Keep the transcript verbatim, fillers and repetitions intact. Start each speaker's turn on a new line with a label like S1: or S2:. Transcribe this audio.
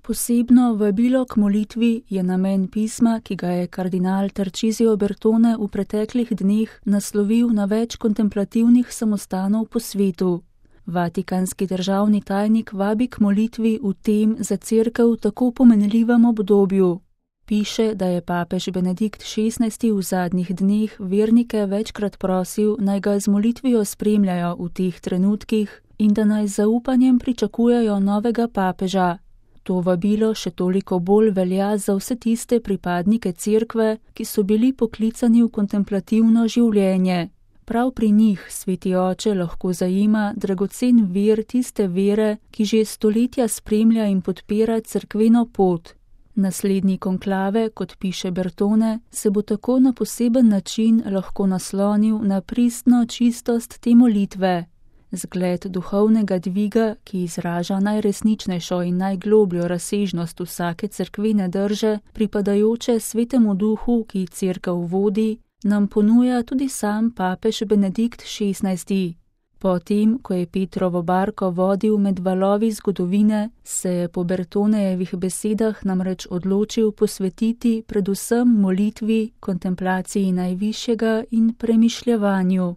S1: Posebno vabilo k molitvi je namen pisma, ki ga je kardinal Tarcisio Bertone v preteklih dneh naslovil na več kontemplativnih samostanov po svetu. Vatikanski državni tajnik vabi k molitvi v tem za cerkev tako pomenljivem obdobju. Piše, da je papež Benedikt šestnajsti v zadnjih dneh vernike večkrat prosil, naj ga z molitvijo spremljajo v teh trenutkih in da naj z zaupanjem pričakujejo novega papeža. To vabilo še toliko bolj velja za vse tiste pripadnike cerkve, ki so bili poklicani v kontemplativno življenje. Prav pri njih sveti oče lahko zajema dragocen vir tiste vere, ki že stoletja spremlja in podpira cerkveno pot. Naslednji konklave, kot piše Bertone, se bo tako na poseben način lahko naslonil na pristno čistost te molitve. Zgled duhovnega dviga, ki izraža najresničnejšo in najglobljo razsežnost vsake cerkvene drže, pripadajoče svetemu duhu, ki cerkev vodi, nam ponuja tudi sam papež Benedikt šestnajsti. Potem, ko je Petrovo barko vodil med valovi zgodovine, se je po Bertonejevih besedah namreč odločil posvetiti predvsem molitvi, kontemplaciji najvišjega in premišljevanju.